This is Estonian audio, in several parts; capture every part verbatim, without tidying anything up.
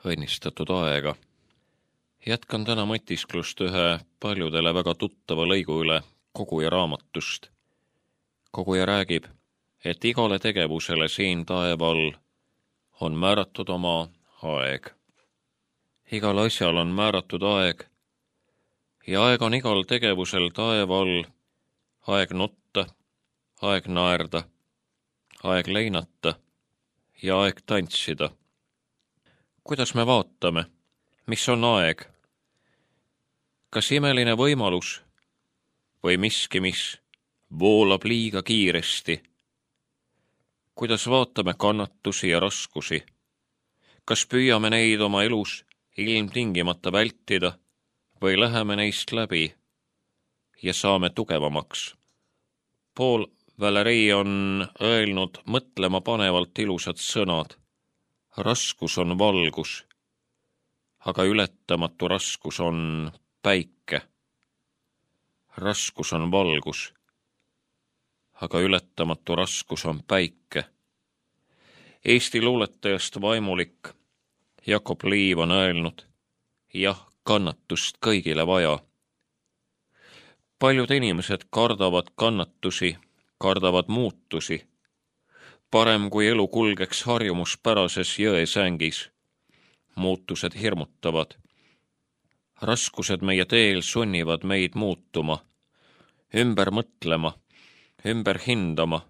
õnnistatud aega. Jätkan täna mõtisklust ühe paljudele väga tuttava lõigu üle Koguja raamatust. Koguja räägib, et igale tegevusele siin taeval on määratud oma aeg. Igal asjal on määratud aeg ja aeg on igal tegevusel taeval aeg nutta, aeg naerda, aeg leinata ja aeg tantsida. Kuidas me vaatame, mis on aeg? Kas imeline võimalus või miski, mis voolab liiga kiiresti? Kuidas vaatame kannatusi ja raskusi? Kas püüame neid oma elus ilmtingimata vältida või läheme neist läbi ja saame tugevamaks? Paul Valéry on öelnud mõtlema panevalt ilusad sõnad. Raskus on valgus, aga ületamatu raskus on päike. Raskus on valgus, aga ületamatu raskus on päike. Eesti luuletajast vaimulik Jakob Liiv on öelnud, jah, kannatust kõigile vaja. Paljud inimesed kardavad kannatusi, kardavad muutusi. Parem kui elu kulgeks harjumuspärases jõesängis. Muutused hirmutavad. Raskused meie teel sunnivad meid muutuma, ümber mõtlema, ümber hindama,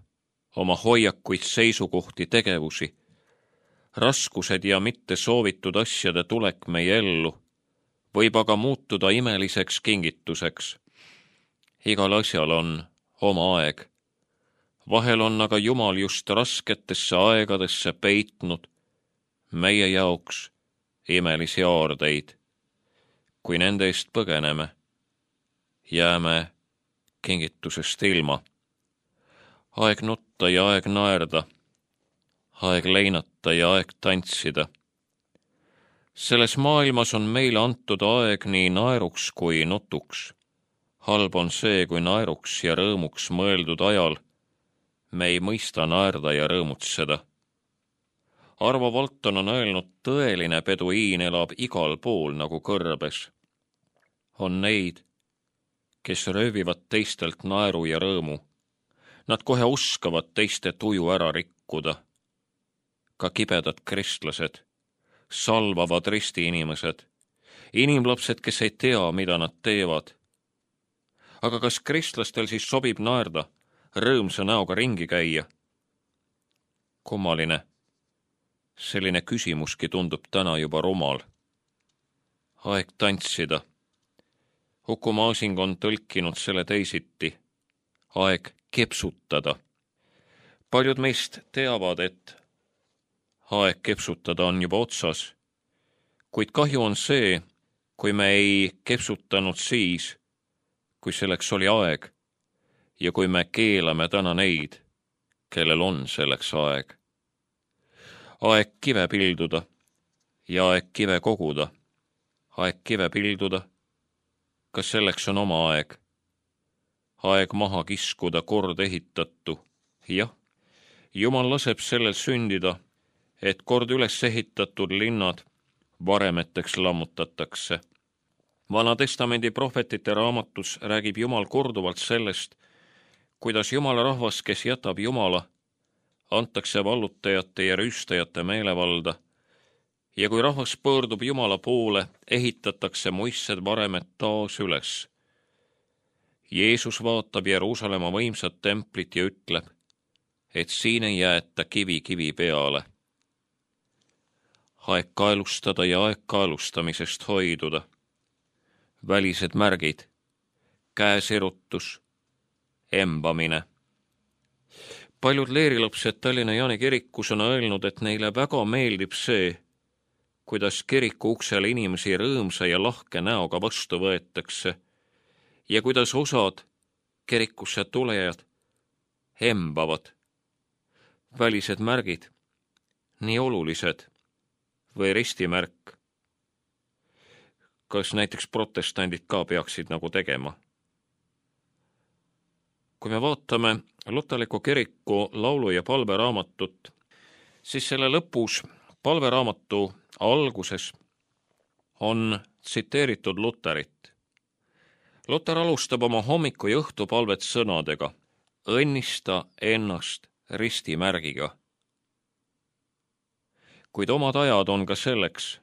oma hoiakuid, seisukohti, tegevusi. Raskused ja mitte soovitud asjade tulek meie ellu võib aga muutuda imeliseks kingituseks. Igal asjal on oma aeg. Vahel on aga Jumal just rasketesse aegadesse peitnud meie jaoks imelisi aardeid. Kui nende eest põgeneme, jääme kingitusest ilma. Aeg nutta ja aeg naerda, aeg leinata ja aeg tantsida. Selles maailmas on meile antud aeg nii naeruks kui nutuks. Halb on see, kui naeruks ja rõõmuks mõeldud ajal me ei mõista naerda ja rõõmutseda. Arvo Valton on öelnud, tõeline peduiin elab igal pool nagu kõrbes. On neid, kes röövivad teistelt naeru ja rõõmu. Nad kohe oskavad teiste tuju ära rikkuda. Ka kibedad kristlased, salvavad risti inimesed, inimlapsed, kes ei tea, mida nad teevad. Aga kas kristlastel siis sobib naerda, rõõmsa näoga ringi käia? Kummaline. Selline küsimuski tundub täna juba rumal. Aeg tantsida. Uku Masing on tõlkinud selle teisiti. Aeg kepsutada. Paljud meist teavad, et aeg kepsutada on juba otsas. Kuid kahju on see, kui me ei kepsutanud siis, kui selleks oli aeg. Ja kui me keelame täna neid, kellel on selleks aeg. Aeg kive pilduda ja aeg kive koguda. Aeg kive pilduda, kas selleks on oma aeg? Aeg maha kiskuda kord ehitatu. Jah, Jumal laseb sellel sündida, et kord üles ehitatud linnad varemeteks lammutatakse. Vana testamendi prohvetite raamatus räägib Jumal korduvalt sellest, kuidas Jumala rahvas, kes jätab Jumala, antakse vallutajate ja rüüstajate meelevalda, ja kui rahvas pöördub Jumala poole, ehitatakse muistsed varemed taas üles. Jeesus vaatab Jeruusalemma võimsat templit ja ütleb, et siin ei jäeta kivi kivi peale. Aeg kaelustada ja aeg kaelustamisest hoiduda. Välised märgid, käesirutus, embamine. Paljud leerilapsed Tallinna Jaani kirikus on öelnud, et neile väga meeldib see, kuidas kiriku uksele inimesi rõõmsa ja lahke näoga vastu võetakse ja kuidas osad kirikusse tulejad embavad. Välised märgid, nii olulised või ristimärk. Kas näiteks protestandid ka peaksid nagu tegema? Kui me vaatame Lutaliku kiriku laulu- ja palveraamatut, siis selle lõpus palveraamatu alguses on tsiteeritud Luterit. Luter alustab oma hommiku ja õhtupalvet sõnadega: õnnista ennast ristimärgiga. Kuid omad ajad on ka selleks,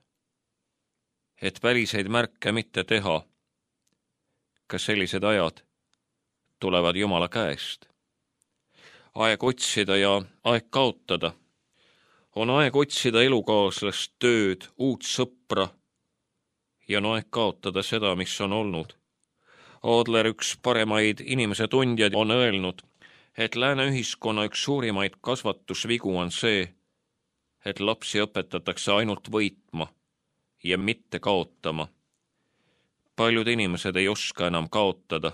et väliseid märke mitte teha. Ka sellised ajad tulevad Jumala käest. Aeg otsida ja aeg kaotada. On aeg otsida elukaaslast, tööd, uut sõpra ja on aeg kaotada seda, mis on olnud. Adler, üks paremaid inimese tundjaid, on öelnud, et lääne ühiskonna üks suurimaid kasvatusvigu on see, et lapsi õpetatakse ainult võitma ja mitte kaotama. Paljud inimesed ei oska enam kaotada,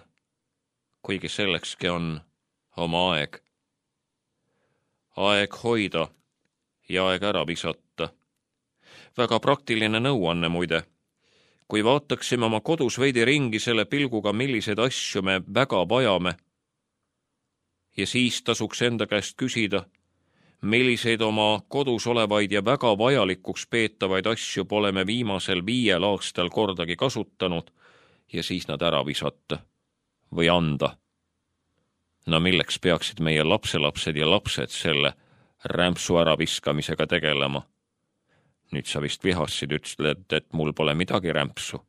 kuigi sellekski on oma aeg. Aeg hoida ja aeg ära visata. Väga praktiline nõuanne muide. Kui vaataksime oma kodus veidi ringi selle pilguga, milliseid asju me väga vajame, ja siis tasuks enda käest küsida, milliseid oma kodus olevaid ja väga vajalikuks peetavaid asju pole me viimasel viiel aastal kordagi kasutanud ja siis nad ära visata või anda. No milleks peaksid meie lapselapsed ja lapsed selle rämpsu äraviskamisega tegelema? Nüüd sa vist vihassid, ütled, et mul pole midagi rämpsu.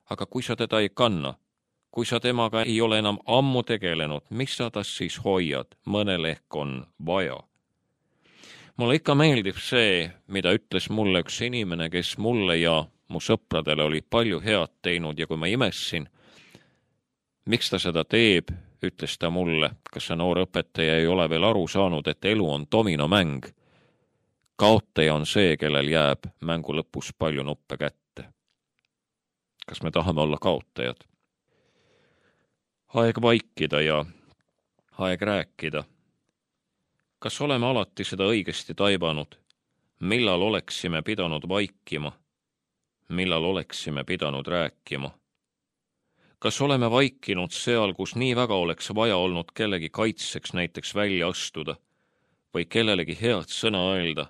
Aga kui sa teda ei kanna, kui sa temaga ei ole enam ammu tegelenud, mis sa tas siis hoiad? Mõnel ehk on vaja. Mulle ikka meeldib see, mida ütles mulle üks inimene, kes mulle ja mu sõpradele oli palju head teinud ja kui ma imessin, miks ta seda teeb, ütles ta mulle, kas see noor õpetaja ei ole veel aru saanud, et elu on dominomäng. Kaotaja on see, kellel jääb mängu lõpus palju nuppe kätte. Kas me tahame olla kaotajad? Aeg vaikida ja aeg rääkida. Kas oleme alati seda õigesti taibanud? Millal oleksime pidanud vaikima? Millal oleksime pidanud rääkima? Kas oleme vaikinud seal, kus nii väga oleks vaja olnud kellegi kaitseks näiteks välja astuda või kellelegi head sõna öelda?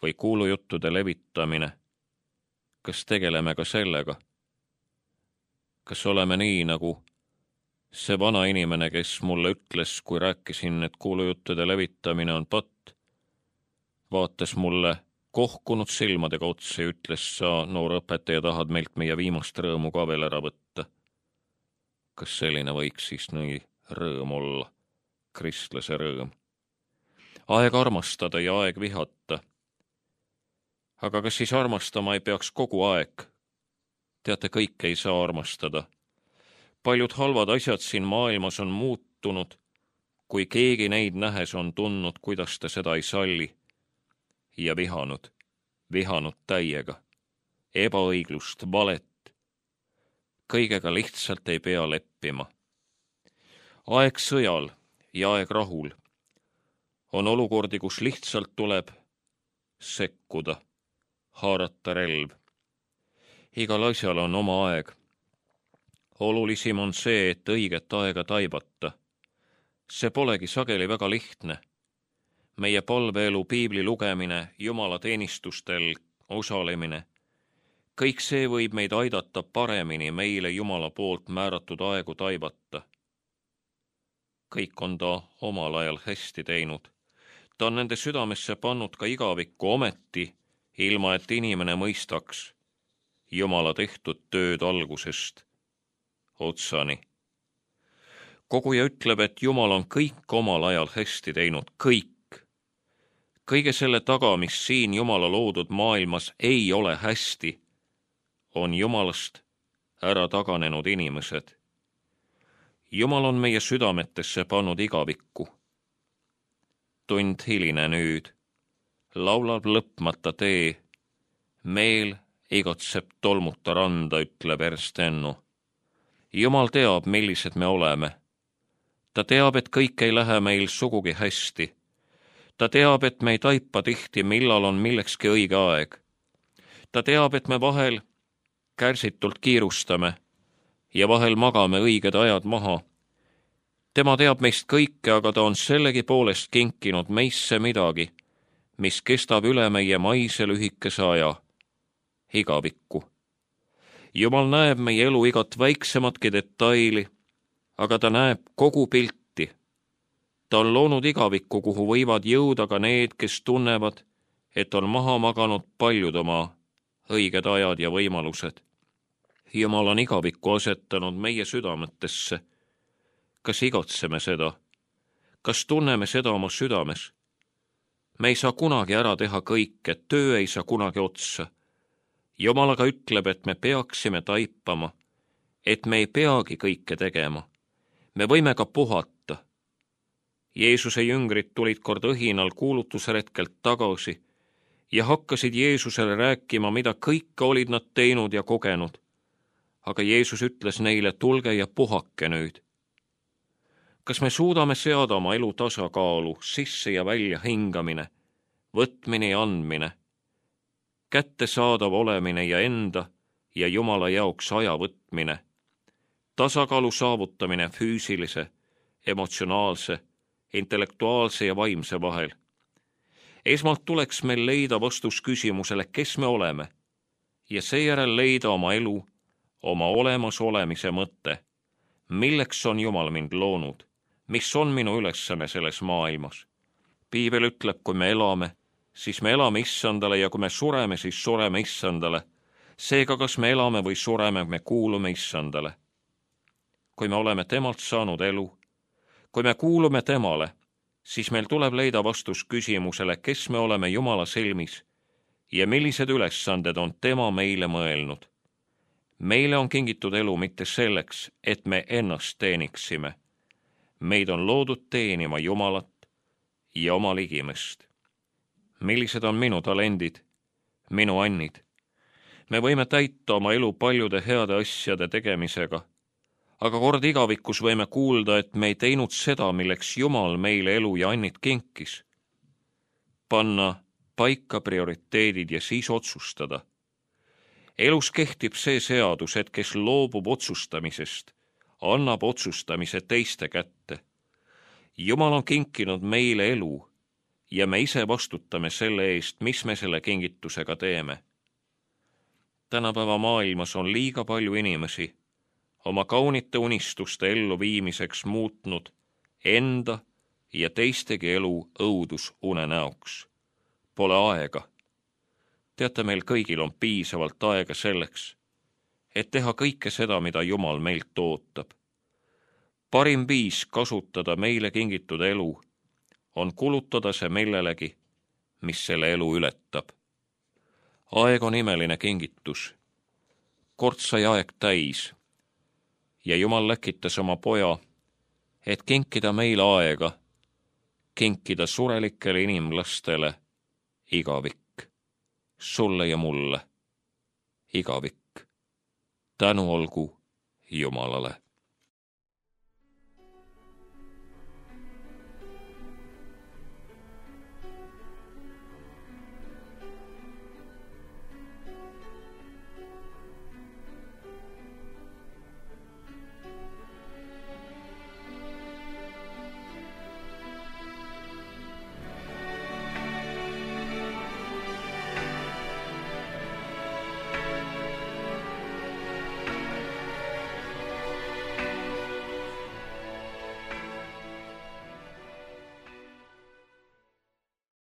Või kuulujuttude levitamine? Kas tegeleme ka sellega? Kas oleme nii nagu see vana inimene, kes mulle ütles, kui rääkisin, et kuulujuttude levitamine on patt, vaatas mulle kohkunud silmadega otsa ja ütles, sa, noor õpetaja, tahad meilt meie viimast rõõmu ka veel ära võtta. Kas selline võiks siis nii rõõm olla? Kristlase rõõm. Aeg armastada ja aeg vihata. Aga kas siis armastama ei peaks kogu aeg? Teate, kõik ei saa armastada. Paljud halvad asjad siin maailmas on muutunud, kui keegi neid nähes on tundnud, kuidas ta seda ei salli. Ja vihanud, vihanud täiega, ebaõiglust, valet. Kõigega lihtsalt ei pea leppima. Aeg sõjal ja aeg rahul. On olukordi, kus lihtsalt tuleb sekkuda, haarata relv. Igal asjal on oma aeg. Olulisim on see, et õiget aega taibata. See polegi sageli väga lihtne. Meie palveelu, piibli lugemine, Jumala teenistustel osalemine, kõik see võib meid aidata paremini meile Jumala poolt määratud aegu taibata. Kõik on ta omal ajal hästi teinud. Ta on nende südamesse pannud ka igavikku ometi, ilma et inimene mõistaks Jumala tehtud tööd algusest otsani. Koguja ütleb, et Jumal on kõik omal ajal hästi teinud, kõik. Kõige selle taga, mis siin Jumala loodud maailmas ei ole hästi, on Jumalast ära taganenud inimesed. Jumal on meie südametesse pannud igavikku. Tund hiline nüüd, laulab lõpmata tee, meel igatseb tolmuta randa, ütleb Erstennu. Jumal teab, millised me oleme. Ta teab, et kõik ei lähe meil sugugi hästi. Ta teab, et me ei taipa tihti, millal on millekski õige aeg. Ta teab, et me vahel kärsitult kiirustame ja vahel magame õiged ajad maha. Tema teab meist kõike, aga ta on sellegi poolest kinkinud meisse midagi, mis kestab üle meie maise lühikese aja, igavikku. Jumal näeb meie elu igat väiksematki detaili, aga ta näeb kogu pilti. Ta on loonud igavikku, kuhu võivad jõuda ka need, kes tunnevad, et on maha maganud paljud oma õiged ajad ja võimalused. Jumal on igavikku asetanud meie südametesse. Kas igatseme seda? Kas tunneme seda oma südames? Me ei saa kunagi ära teha kõike, töö ei saa kunagi otsa. Jumal aga ütleb, et me peaksime taipama, et me ei peagi kõike tegema. Me võime ka puhata. Jeesuse jüngrid tulid kord õhinal kuulutusretkelt tagasi ja hakkasid Jeesusele rääkima, mida kõike olid nad teinud ja kogenud. Aga Jeesus ütles neile, tulge ja puhake nüüd. Kas me suudame seada oma elu tasakaalu, sisse ja välja hingamine, võtmine ja andmine, kättesaadav olemine ja enda ja Jumala jaoks aja võtmine, tasakaalu saavutamine füüsilise, emotsionaalse, intellektuaalse ja vaimse vahel? Esmalt tuleks meil leida vastus küsimusele, kes me oleme, ja seejärel leida oma elu, oma olemasolemise mõte. Milleks on Jumal mind loonud? Mis on minu ülesanne selles maailmas? Piibel ütleb, kui me elame, siis me elame Issandale ja kui me sureme, siis sureme Issandale. Seega, kas me elame või sureme, me kuulume Issandale. Kui me oleme temalt saanud elu, kui me kuulume temale, siis meil tuleb leida vastus küsimusele, kes me oleme Jumala silmis ja millised ülesanded on tema meile mõelnud. Meile on kingitud elu mitte selleks, et me ennast teeniksime. Meid on loodud teenima Jumalat ja oma ligimest. Millised on minu talendid, minu annid? Me võime täita oma elu paljude heade asjade tegemisega, aga kord igavikus võime kuulda, et me ei teinud seda, milleks Jumal meile elu ja annid kinkis. Panna paika prioriteedid ja siis otsustada. Elus kehtib see seadus, et kes loobub otsustamisest, annab otsustamise teiste kätte. Jumal on kinkinud meile elu ja me ise vastutame selle eest, mis me selle kingitusega teeme. Tänapäeva maailmas on liiga palju inimesi oma kaunite unistuste ellu viimiseks muutnud enda ja teistegi elu õudusunenäoks. Pole aega. Teate, meil kõigil on piisavalt aega selleks, et teha kõike seda, mida Jumal meilt ootab. Parim viis kasutada meile kingitud elu on kulutada see millelegi, mis selle elu ületab. Aeg on imeline kingitus. Kord sai aeg täis ja Jumal läkitas oma poja, et kinkida meile aega, kinkida surelikele inimlastele igavik. Sulle ja mulle igavik. Tänu olgu Jumalale.